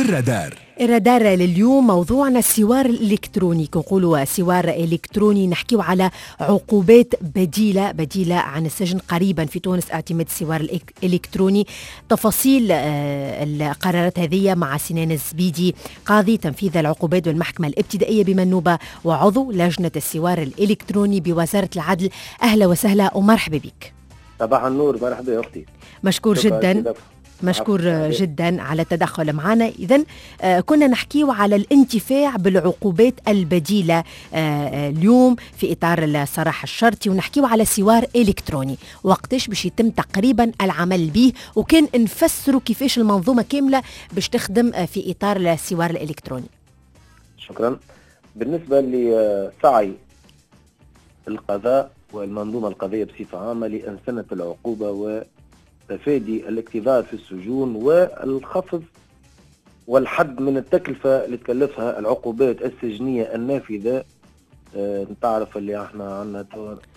الرادار. الرادار لليوم موضوعنا السوار الإلكتروني. نقولوا سوار إلكتروني نحكيو على عقوبات بديلة عن السجن قريبا في تونس، اعتماد السوار الإلكتروني. تفاصيل القرارات هذه مع سنان الزبيدي، قاضي تنفيذ العقوبات بالمحكمة الابتدائية بمنوبة وعضو لجنة السوار الإلكتروني بوزارة العدل. أهلا وسهلا ومرحبا بك. صباح النور، مرحبا يا أختي. مشكور جدا، مشكور جدا على التدخل معنا. إذن كنا نحكيو على الانتفاع بالعقوبات البديلة اليوم في إطار السراح الشرطي، ونحكيو على سوار إلكتروني وقتاش باش يتم تقريبا العمل به، وكان نفسروا كيفاش المنظومة كاملة باش تخدم في إطار السوار الإلكتروني. شكرا. بالنسبة لسعي القضاء والمنظومة القضائية بصفة عامة لأنسنة العقوبة و تفادي الاكتظاظ في السجون والخفض والحد من التكلفة اللي تكلفها العقوبات السجنية النافذة. تعرف اللي احنا عندنا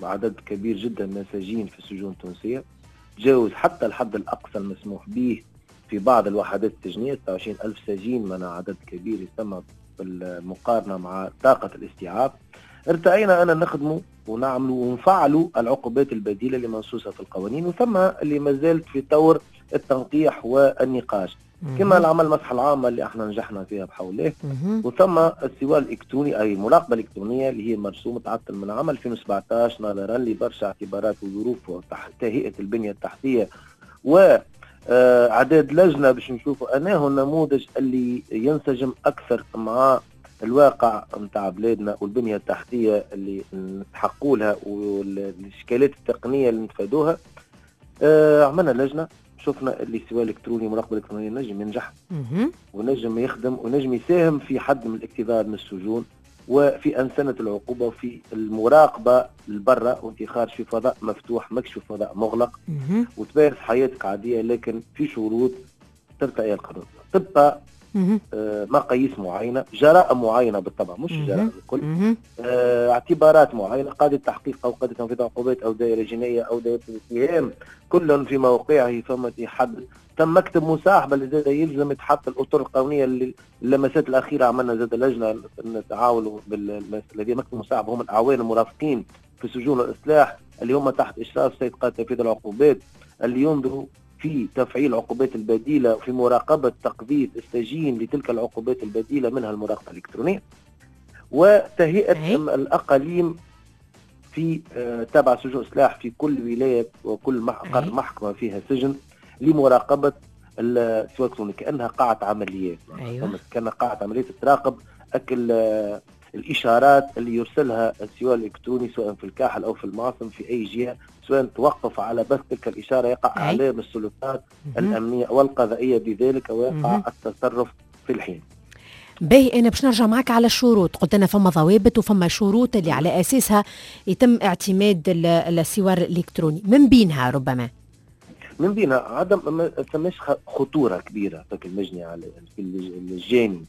عدد كبير جدا من السجين في السجون التونسية، تجاوز حتى الحد الأقصى المسموح به في بعض الوحدات السجنية 26 ألف سجين، من عدد كبير يسمى بالمقارنة مع طاقة الاستيعاب. ارتأينا أن نخدموا ونعملوا ونفعلوا العقوبات البديلة اللي منصوصة في القوانين، وثم اللي ما زالت في طور التنقيح والنقاش، كما العمل المصلحة العامة اللي احنا نجحنا فيها بحوله، وثم السوار الإلكتروني أي المراقبة الإلكترونية اللي هي مرسوم تعطل من عام 2017 نظرا لبرشا اعتبارات وظروف وتهيئة البنية التحتية و اعداد لجنة باش نشوفوا أنه النموذج اللي ينسجم أكثر مع الواقع نتاع بلادنا والبنية التحتية اللي نتحقوا لها والإشكالات التقنية اللي نتفادوها. عملنا لجنة، شفنا اللي سواء الإلكتروني مراقبة الإلكترونية نجم ينجح ونجم يخدم ونجم يساهم في حد من الاكتظاظ من السجون وفي أنسنة العقوبة وفي المراقبة البرة، وانت خارج في فضاء مفتوح ماكش في فضاء مغلق، وتمارس حياتك عادية لكن في شروط ترتقي القانون، تبقى مقاييس معينة، جرائم معينة بالطبع مش جرائم الكل، اعتبارات معينة، قاضي التحقيق أو قاضي تنفيذ عقوبات أو دائرة جنائية أو دائرة الاتهام كل في موقعه فما يحدد. تم مكتب مصاحبة اللي زاد يلزم يتحط الأطر القانونية اللي اللمسات الأخيرة عملنا زاد لجنة نتعاونوا بالذي مكتب مصاحبة هم الأعوان المرافقين في سجون الإصلاح اللي هم تحت إشراف سيد قاضي تنفيذ العقوبات، اللي ينظروا في تفعيل العقوبات البديلة وفي مراقبة تقضية السجين لتلك العقوبات البديلة منها المراقبة الإلكترونية، وتهيئة الأقاليم في تابع سجون إصلاح في كل ولاية وكل محكمة فيها سجن لمراقبة السواق الإلكتروني كأنها قاعة عمليات. أيوة. كأنها قاعة عمليات تراقب أكل الإشارات اللي يرسلها السواق الإلكتروني سواء في الكاحل أو في المعصم في أي جهة، سواء توقف على بث تلك الإشارة يقع إعلام السلطات الأمنية والقضائية بذلك ويقع التصرف في الحين. باهي، أنا باش نرجع معك على الشروط. قلت أنا فما ضوابط وفما شروط اللي على أساسها يتم اعتماد السوار الإلكتروني، من بينها ربما من بينها عدم ما ثماش خطورة كبيرة في المجني على في الجاني،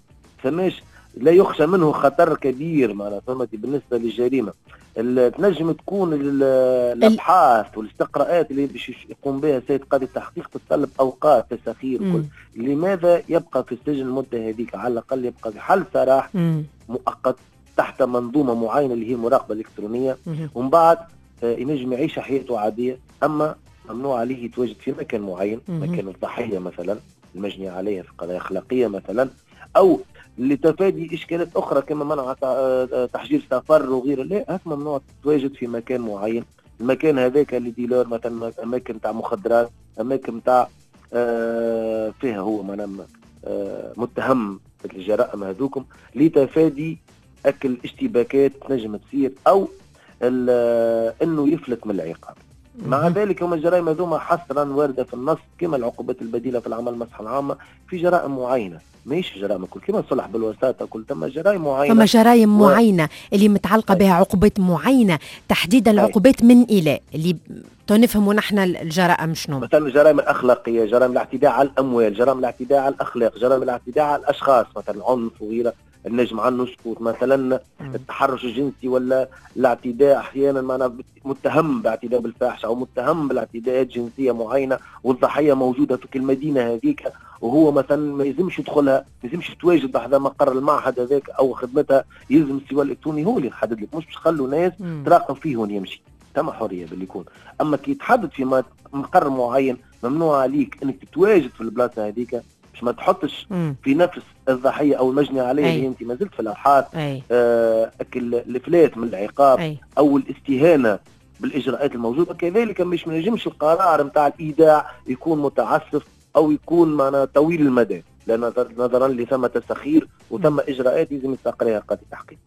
ثماش لا يخشى منه خطر كبير معناها فهمتي. بالنسبة للجريمة تنجم تكون الأبحاث والاستقراءات اللي باش يقوم بها سيد قاضي التحقيق تتطلب أوقات تساخير وكل. لماذا يبقى في السجن المدة هذيك؟ على الأقل يبقى في حل سراح مؤقت تحت منظومة معينة اللي هي المراقبة الإلكترونية، ومن بعد ينجم يعيش حياته عادية، أما ممنوع عليه يتواجد في مكان معين، مكان الضحية مثلا المجني عليها في قضايا أخلاقية مثلا، أو لتفادي إشكالات أخرى كما منع تحجير سفر وغيره. لا، هاك ممنوع تتواجد في مكان معين، المكان هذاك اللي ديلور مثلا، أماكن تاع مخدرات، أماكن تاع فيها هو معناها متهم بالجرائم هذوكم، لتفادي أكل اشتباكات تنجم تصير أو إنه يفلت من العقاب. مع ذلك هم الجرائم هذوما حصرا واردة في النص كما العقوبات البديلة في العمل المصلحة العامة في جرائم معينة، ماهيش جرائم كل كما الصلح بالوساطة كل، ثم جرائم معينة، ثم جرائم معينة اللي متعلقة بها عقوبات معينة تحديدا العقوبات من إلى اللي تنفهموا نحن الجرائم شنو. مثلا الجرائم الأخلاقية، جرائم الاعتداء على الأموال، جرائم الاعتداء على الأخلاق، جرائم الاعتداء على الأشخاص مثلا عنف وغيره، النجم عنه سقوط مثلا، التحرش الجنسي ولا الاعتداء احيانا معنا متهم باعتداء بالفاحشه او متهم بالاعتداءات جنسية معينة والضحيه موجودة في المدينة هذيك وهو مثلا ما يلزمش يدخلها، ما يلزمش يتواجد بحذا مقر المعهد هذاك او خدمتها، يلزم السوار الالكتروني هو اللي يحدد لك، مش باش تخلوا ناس تراقب فيه وين يمشي. ثم حرية باللي يكون، اما كي يتحدد في مقر معين ممنوع عليك انك تتواجد في البلاصة هذيك باش ما تحطش في نفس الضحية او المجني عليه اللي انت ما زلت في الابحاث الافلات من العقاب او الاستهانة بالاجراءات الموجودة. كذلك مش ما نجمش القرار نتاع الايداع يكون متعسف او يكون معنا طويل المدى، لان نظرا لثمه تسخير وثم اجراءات لازم يستقرها قاضي التحقيق.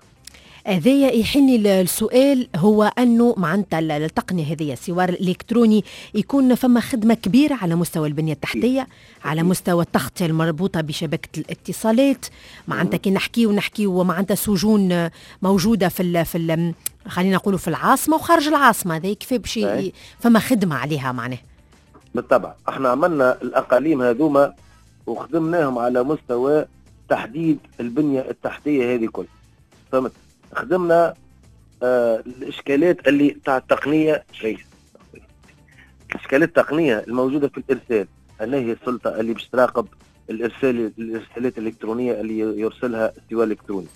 هذايا يحني السؤال، هو انه معناتها التقنية هذه السوار الالكتروني يكون فما خدمة كبيرة على مستوى البنية التحتية، على مستوى التغطية المربوطه بشبكة الاتصالات. معناتها كي نحكيو معناتها سجون موجودة في خلينا نقولوا في العاصمة وخارج العاصمه، هذا كيف باش فما خدمة عليها معناه. بالطبع احنا عملنا الاقاليم هذوما وخدمناهم على مستوى تحديد البنية التحتية هذه كل، فهمت؟ خدمنا الاشكالات اللي تاع التقنية، الاشكالات التقنية الموجودة في الارسال، هل هي السلطة اللي باش تراقب الارسالات الالكترونية اللي يرسلها السوار الالكتروني،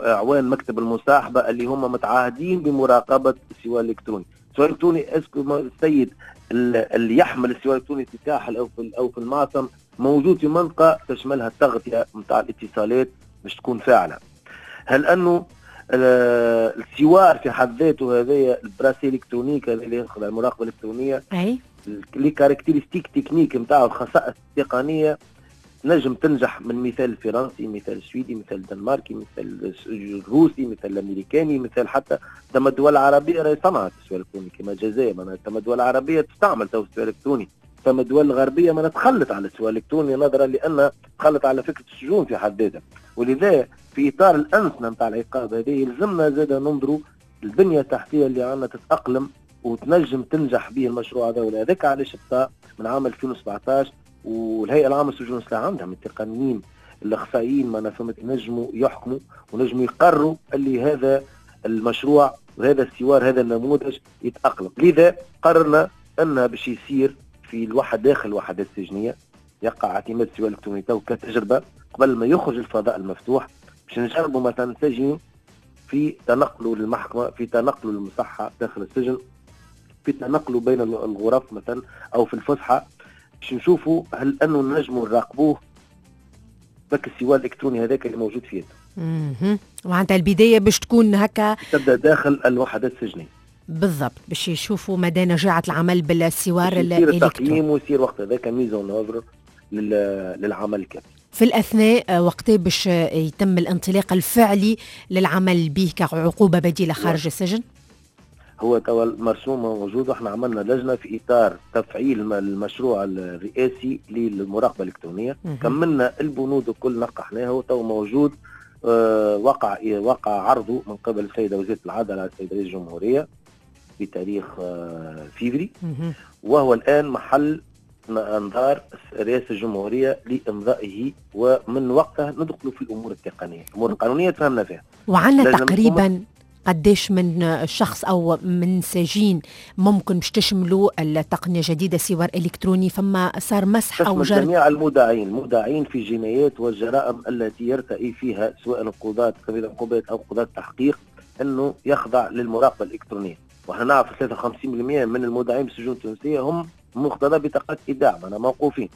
اعوان مكتب المصاحبة اللي هم متعاهدين بمراقبة السوار الالكتروني. السوار الالكتروني est-ce que السيد اللي يحمل السوار الالكتروني في الساحل او في المعصم موجود في منطقة تشملها التغطية نتاع الاتصالات باش تكون فاعله. هل انه السوار في حد ذاته هذايا ال bracelet électronique اللي يدخل على المراقبة الالكترونية، اي les caractéristiques techniques نتاعو، الخصائص التقنية نجم تنجح من مثال الفرنسي، مثال السويدي، مثال الدنماركي، مثال الروسي، مثال الامريكاني، مثال حتى ثم الدول العربية راهي صنعت السوار الالكتروني كما الجزائر، معناها ثم الدول العربية تستعمل تو السوار الالكتروني، ثم الدول الغربية ما تخلت على السوار الالكتروني نظرا لان تخلت على فكرة السجون في حد ذاتها. ولذا في اطار الانسنه نتاع العقاب هذه يلزمنا زاد ننظروا البنية التحتية اللي عندنا تتاقلم وتنجم تنجح به المشروع هذا. ولذلك علاش بدا من عام 2017 والهيئة العامة للسجون والسلاح عندها من التقنيين الاخصائيين ما فهمت نجموا يحكموا ونجموا يقروا اللي هذا المشروع وهذا السوار هذا النموذج يتاقلم. لذا قررنا ان باش يصير في الوحدة داخل الوحدات السجنيه يقع اعتماد السوار الالكتروني تو كتجربة قبل ما يخرج الفضاء المفتوح، باش نجربوا مثلا سجين في تنقله للمحكمة، في تنقله للمصحه داخل السجن، في تنقله بين الغرف مثلا او في الفسحة، باش نشوفوا هل انه نجموا نراقبوه بك السوار الالكتروني هذاك اللي موجود في يده. معناتها البداية باش تكون هكا تبدا داخل الوحدات السجنيه بالضبط، باش يشوفوا مدى نجاعه العمل بالسوار الالكتروني، يصير التقييم ويصير وقت هذاك mise en œuvre للعمل الكامل. في الأثناء وقت باش يتم الانطلاق الفعلي للعمل به كعقوبة بديلة خارج السجن؟ هو توا المرسوم موجود، واحنا عملنا لجنة في إطار تفعيل المشروع الرئاسي للمراقبة الإلكترونية، كملنا البنود الكل نقحناها وتو موجود، وقع عرضه من قبل السيدة وزيرة العدل على السيد رئيس الجمهورية بتاريخ فيفري، وهو الآن محل انظار رئاسة الجمهورية لإمضائه، ومن وقتها ندخل في الأمور التقنية، الأمور القانونية تفهمنا فيها. وعندنا تقريبا قديش من شخص أو من سجين ممكن باش تشملوا التقنية الجديدة سوار إلكتروني؟ فما صار مسح أو جرد؟ جميع المودعين في الجنايات والجرائم التي يرتئي فيها سواء القضاة كبير العقوبات أو قضاة التحقيق أنه يخضع للمراقبة الإلكترونية. وإحنا نعرف 53% من المودعين بالسجون التونسية هم مقتضى بطاقات إيداع، معناها موقوفين،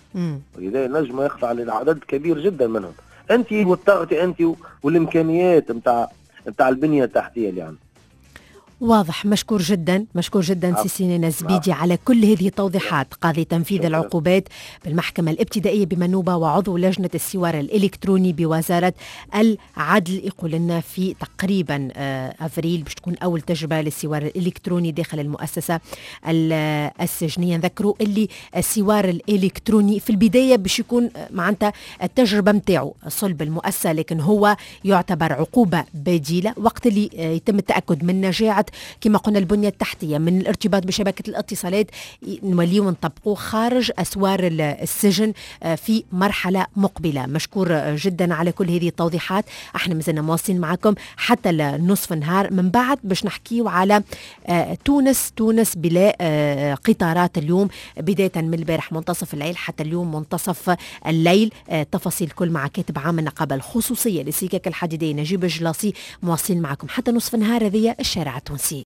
ولذا نجم يخضع للعدد كبير جدا منهم. أنت والتغطية أنت والإمكانيات نتاع البنية التحتية اللي عندنا. واضح. مشكور جدا، مشكور جدا سي سنان الزبيدي على كل هذه التوضيحات، قاضي تنفيذ العقوبات بالمحكمة الابتدائية بمنوبة وعضو لجنة السوار الإلكتروني بوزارة العدل. يقول لنا في تقريبا أفريل باش تكون أول تجربة للسوار الإلكتروني داخل المؤسسة السجنية. نذكروا اللي السوار الإلكتروني في البداية باش يكون معناتها التجربة متاعه صلب المؤسسة، لكن هو يعتبر عقوبة بديلة وقت اللي يتم التأكد من نجاعة اجراءات كما قلنا البنية التحتية من الارتباط بشبكة الاتصالات نوليو نطبقوه خارج اسوار السجن في مرحلة مقبله. مشكور جدا على كل هذه التوضيحات. احنا مازلنا مواصلين معكم حتى نصف النهار، من بعد باش نحكيو على تونس، تونس بلا قطارات اليوم، بداية من البارح منتصف الليل حتى اليوم منتصف الليل. تفاصيل كل مع كاتب عام النقابة الخصوصية للسكك الحديدية نجيب الجلاصي. مواصلين معكم حتى نصف النهار، هذه الشارع التونسي.